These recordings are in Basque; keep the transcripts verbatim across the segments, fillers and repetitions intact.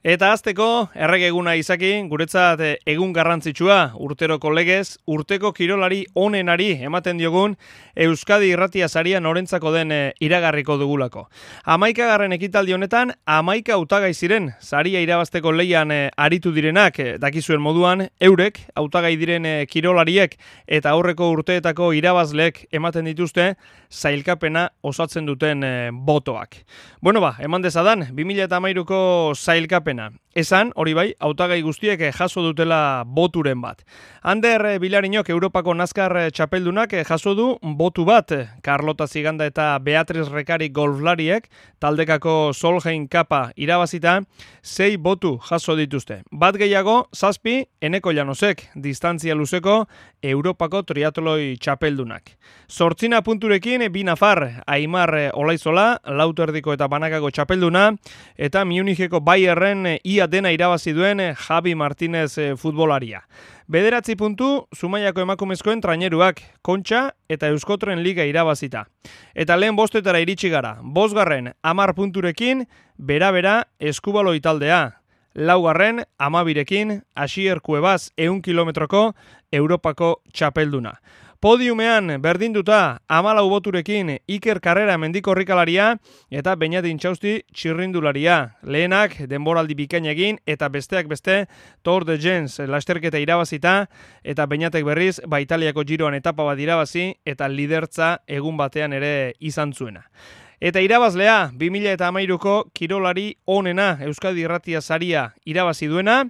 Eta azteko, erregeguna izaki, guretzat egun garrantzitsua, urteroko legez, urteko kirolari onenari ematen diogun Euskadi Irratia saria norentzako den iragarriko dugulako. Hamaikagarren ekitaldi honetan, hamaika hautagai ziren, saria irabazteko leian aritu direnak, dakizuen moduan, eurek, hautagai diren kirolariek eta aurreko urteetako irabazleek ematen dituzte, sailkapena osatzen duten botoak. Bueno ba, eman dezadan, bi mila hamairuko sailkapena. Esan, hori bai, hautagai guztiek jaso dutela boturen bat. Ander Bilarinok Europako Nazkar txapeldunak jaso du botu bat. Carlota Ziganda eta Beatriz Rekari golflariek taldekako Solheim Kapa irabazita, sei botu jaso dituzte. Bat gehiago, zazpi, Eneko Llanosek, distantzia luzeko Europako triatloi txapeldunak. Zortzina punturekin, bi nafar, Aimar Olaizola, Lauterdiko eta Banakako txapelduna, eta Municheko Bayerren ia dena irabazi duen Javi Martínez futbolaria. Bederatzi puntu, Zumaiako emakumezkoen traineruak, Kontxa eta Euskotren Liga irabazita. Eta lehen bostetara iritsi gara, bosgarren amar punturekin, bera-bera Eskubaloi taldea. Laugarren, amabirekin, Asier Kuebaz ehun kilometroko Europako txapelduna. Podiumean berdinduta amalau boturekin Iker Karrera mendikorrikalaria eta Beñat Intxausti txirrindularia. Lehenak denboraldi bikaina egin eta besteak beste Tour de Gens lasterketa irabazita eta Beñatek berriz ba Italiako Giroan etapa bat irabazi eta lidertza egun batean ere izan zuena. Eta irabazlea, bi mila hamairuko kirolari onena Euskadi Irratia saria irabazi duena,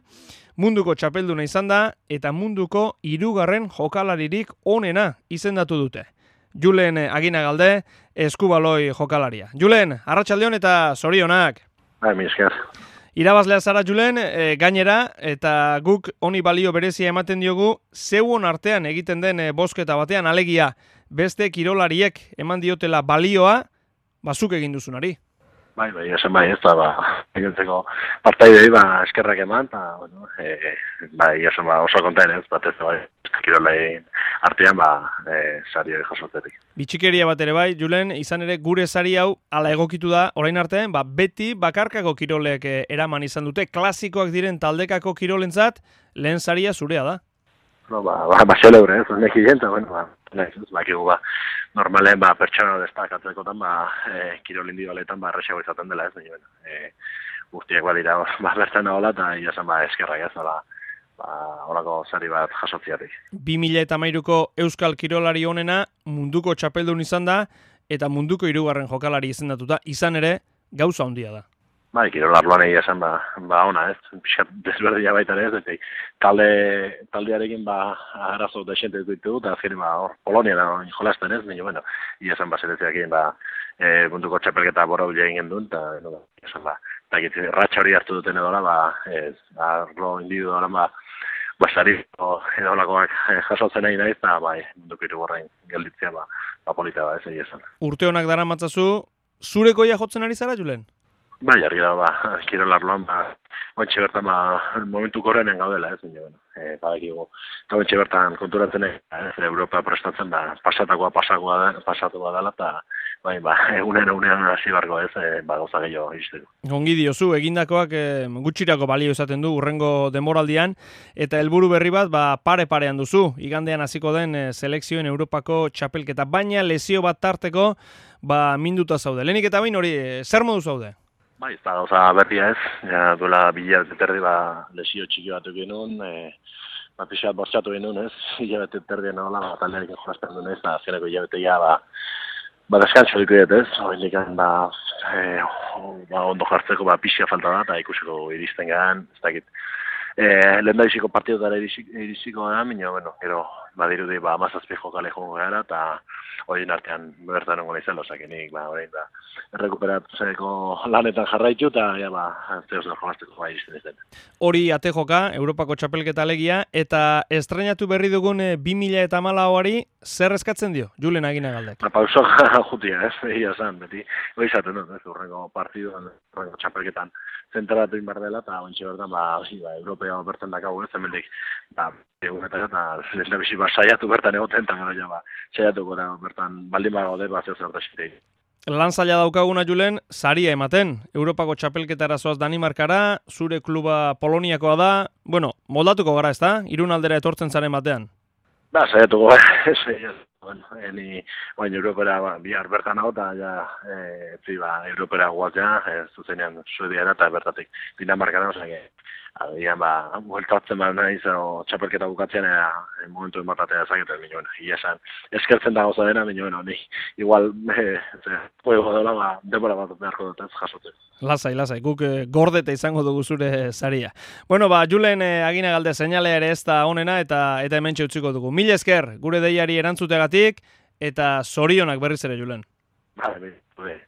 munduko txapelduna izan da eta munduko hirugarren jokalaririk onena izendatu dute. Julen Aginagalde, Eskubaloi jokalaria. Julen, arratsaldeon eta zorionak. Bai, mi esker. Irabazlea zara Julen, e, gainera, eta guk honi balio berezia ematen diogu, zeuon artean egiten den e, bozketa batean, alegia beste kirolariek eman diotela balioa, bazuk egin duzunari. Bai, bai, esan bai, ez da, ba, egintzeko partaidei, ba, eskerrak eman, eta, bueno, e, bai, esan ba, oso kontain ez, bat ez da, bai, kirolain artean, ba, e, sari hori jasotzetik. Bitxikeria bat ere bai, Julen, izan ere gure sari hau, ala egokitu da, orain arte, ba, beti bakarkako kirolek e, eraman izan dute, klasikoak diren taldekako kirolentzat, lehen saria zurea da. No, ba, ba, ba, xeleure, ez, neki jenta, bueno, ba, nahiz, ez, bakigu, ba, normalen, ba, pertsona destakatzekotan, ba, e, kirol individualetan, ba, errexago izaten dela, ez, baina, e, guztiak badira, ba, bertan nagoela, eta iazen, ba, eskerrak ez, ba, ba, horako sari bat jasotziatik. bi mila hamairuko Euskal Kirolari onena munduko txapeldun izan da, eta munduko hirugarren jokalari izendatuta, izan ere, gauza handia da. Bai, kirolarloan egia esan, ba, ba ona ez, pixat desberdila baita ere ez, eta talde, taldearekin, ba, arazo desente ditugu, eta azkenin, ba, hor, Polonia da, jolazten ez, baina, bueno, egia esan, ba, zeretzeakin, ba, e, munduko txapelketa bora bila egin duen, eta, no, ba, egia esan, ba, eta gitzen, ratxa hori hartu duten edola, ba, ez, arlo individualan, ba, basari, edo lakoak jasotzen nahi nahi, eta, bai, munduko irugorrain gelditzea, ba, ba, polita da, ez, egia esan. Urte honak dara matzazu, zurekoia jotzen ari zara, Julen? Bai, argi da, ba, kirolarloan, ba, ointxe bertan, ba, momentu korrenen gaudela, ez, baina, bueno, e, badakigu, eta ointxe bertan konturatzen, ez, Europa prestatzen, ba, pasatakoa pasakoa pasatuko dela, eta, bai, ba, egunen egunean hasi barko, ez, e, ba, gauza gehiago izteko. Ongi diozu, egindakoak e, gutxirako balio izaten du, urrengo demoraldian, eta helburu berri bat, ba, pare-parean duzu, igandean hasiko den e, selekzioen Europako txapelketa, baina lesio bat tarteko, ba, minduta zaude. Lehenik eta bain hori, e, zer modu zaude? Bai, ez da gauza berria ez, ja, duela bilabet eterdi, ba, lesio txiki bat genuen, e, ba, pixat bortxatu genuen ez, hilabet eterdien nola, ba, taldearekin jolazten duen ez, eta azkeneko hilabeteia, ba, ba, deskantxo dikudet ez, hori indikan, ba, e, ba, ondo jartzeko, ba, pixia falta da, eta ikusiko iristen gehan, ez dakit, e, lehen da iziko partidotara irisiko da, minio, bueno, gero, badirudi, ba, mazazpi jokale jongo gara, eta horien artean bertan ongo nahi zelo, zakenik, ba, horrein da, errekuperatzeko lanetan jarraitu, eta, ja, ba, zehoz da jolazteko ba, iristen izten. Hori ate joka, Europako txapelketa alegia, eta estrenatu berri dugun bi mila hamalauari zer eskatzen dio, Julen Aginagaldek? Ba, pauso jutia, ez, egia zan, beti, hori izaten dut, ez, urrengo partiduan, urrengo txapelketan, zentratu inbar dela, eta ontsi bertan, ba, ba, Europea bertan dakagu, ez, hemendik, ba, egunetan, eta lehen da bizi, ba, saiatu bertan egoten, eta gara, ja, ba, saiatuko da, bertan, baldin ba gaude, ba, zeu zer da Lan zaila daukaguna Julen, saria ematen. Europako txapelketara zoaz Danimarkara, zure kluba Poloniakoa da. Bueno, moldatuko gara, ez da? Irun aldera etortzen zaren batean. Ba, saiatuko, saiatuko. Bueno, eni, baina Europera ba, bihar bertan hau, eta ja, e, etzi, ba, Europera guazia, e, zuzenean Suediara eta bertatik Dinamarkara, osea, agian, ba, bueltatzen ba nahiz, o, txapelketa bukatzen, e, momentu ematatea ezagetan, minuen, ia esan, eskertzen da gauza dena, minuen, honi, igual, e, ze, juego dela, ba, denbora bat beharko dut ez jasotzen. Lasai, lasai, guk eh, gordete izango dugu zure saria. Bueno, ba, Julen eh, agina galde seinalea ere ez da onena eta eta hementxe utziko dugu. Mil esker, gure deiari erantzutegatik eta zorionak berriz ere, Julen. Vale, bai.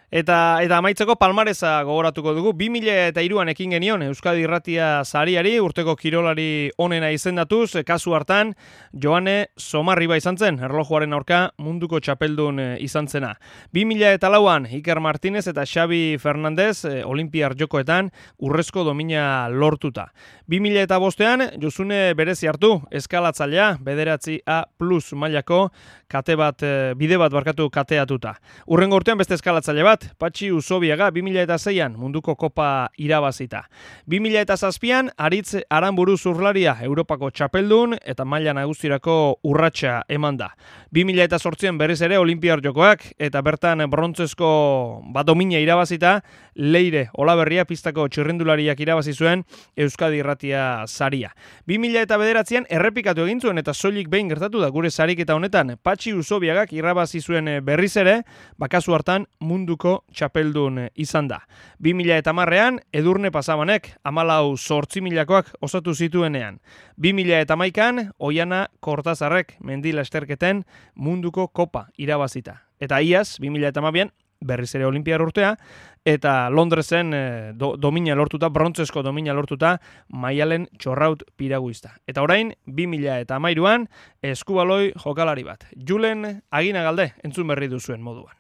Eta eta amaitzeko palmaresa gogoratuko dugu. bi mila hiruan ekin genion Euskadi Irratia sariari, urteko kirolari onena izendatuz, kasu hartan Joane Somarriba izan zen, erlojuaren aurka munduko txapeldun izan zena. bi mila lauan Iker Martinez eta Xabi Fernandez Olimpiar Jokoetan urrezko domina lortuta. bi mila bostean Josune berezi hartu, eskalatzailea, bederatzi A plus mailako kate bat, bide bat barkatu kateatuta. Urrengo urtean beste eskalatzaile bat, Patxi Usobiaga bi mila seian munduko kopa irabazita. bi mila zazpian Aritz Aranburu zurlaria Europako txapeldun eta maila nagustirako urratsa eman da. bi mila zortzian berriz ere Olimpiar Jokoak eta bertan brontzezko bat domina irabazita, Leire Olaberria pistako txirrindulariak irabazi zuen Euskadi Irratia saria. bi mila bederatzian errepikatu egin zuen eta soilik behin gertatu da gure sariketa honetan, Patxi Usobiagak irabazi zuen berriz ere, bakazu hartan munduko txapeldun izan da. bi mila hamarrean Edurne Pasabanek hamalau zortzi milakoak osatu zituenean. bi mila hamaikan Oiana Kortazarrek mendi lasterketen munduko kopa irabazita. Eta iaz, bi mila hamabian berriz ere Olimpiar urtea, eta Londresen eh, do, domina lortuta, brontzesko domina lortuta, Maialen Txorraut piraguista. Eta orain, bi mila hamairuan eskubaloi jokalari bat. Julen Aginagalde entzun berri duzuen moduan.